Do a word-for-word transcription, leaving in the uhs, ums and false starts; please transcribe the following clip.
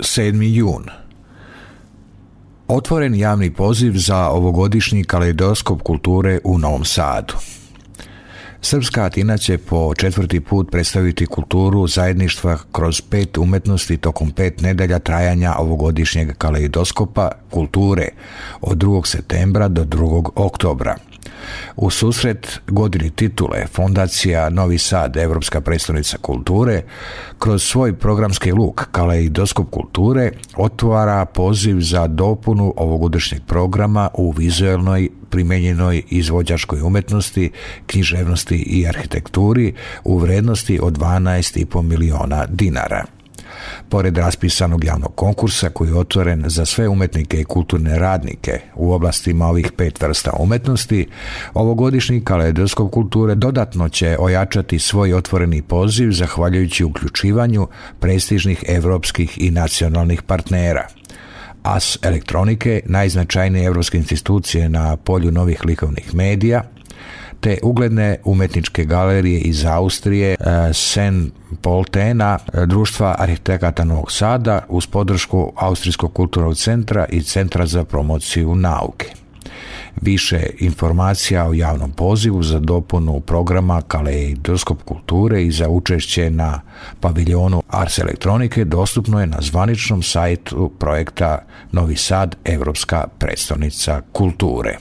sedmi jun. Otvoren javni poziv za ovogodišnji kaleidoskop kulture u Novom Sadu. Srpska Atina će po četvrti put predstaviti kulturu zajedništva kroz pet umetnosti tokom pet nedelja trajanja ovogodišnjeg kaleidoskopa kulture od drugog septembra do drugog oktobra. U susret godini titule Fondacija Novi Sad, Evropska prestonica kulture, kroz svoj programski luk Kaleidoskop kulture otvara poziv za dopunu ovogodišnjeg programa u vizuelnoj, primenjenoj izvođačkoj umetnosti, književnosti i arhitekturi u vrednosti od dvanaest i po miliona dinara. Pored raspisanog javnog konkursa koji je otvoren za sve umetnike i kulturne radnike u oblastima ovih pet vrsta umetnosti, ovogodišnji kaleidoskop kulture dodatno će ojačati svoj otvoreni poziv zahvaljujući uključivanju prestižnih evropskih i nacionalnih partnera. A S elektronike, najznačajnije evropske institucije na polju novih likovnih medija, te ugledne umetničke galerije iz Austrije, Sen Poltena, Društva arhitekata Novog Sada uz podršku Austrijskog kulturnog centra i Centra za promociju nauke. Više informacija o javnom pozivu za dopunu programa Kaleidoskop kulture i za učešće na paviljonu Ars elektronike dostupno je na zvaničnom sajtu projekta Novi Sad, Evropska prestonica kulture.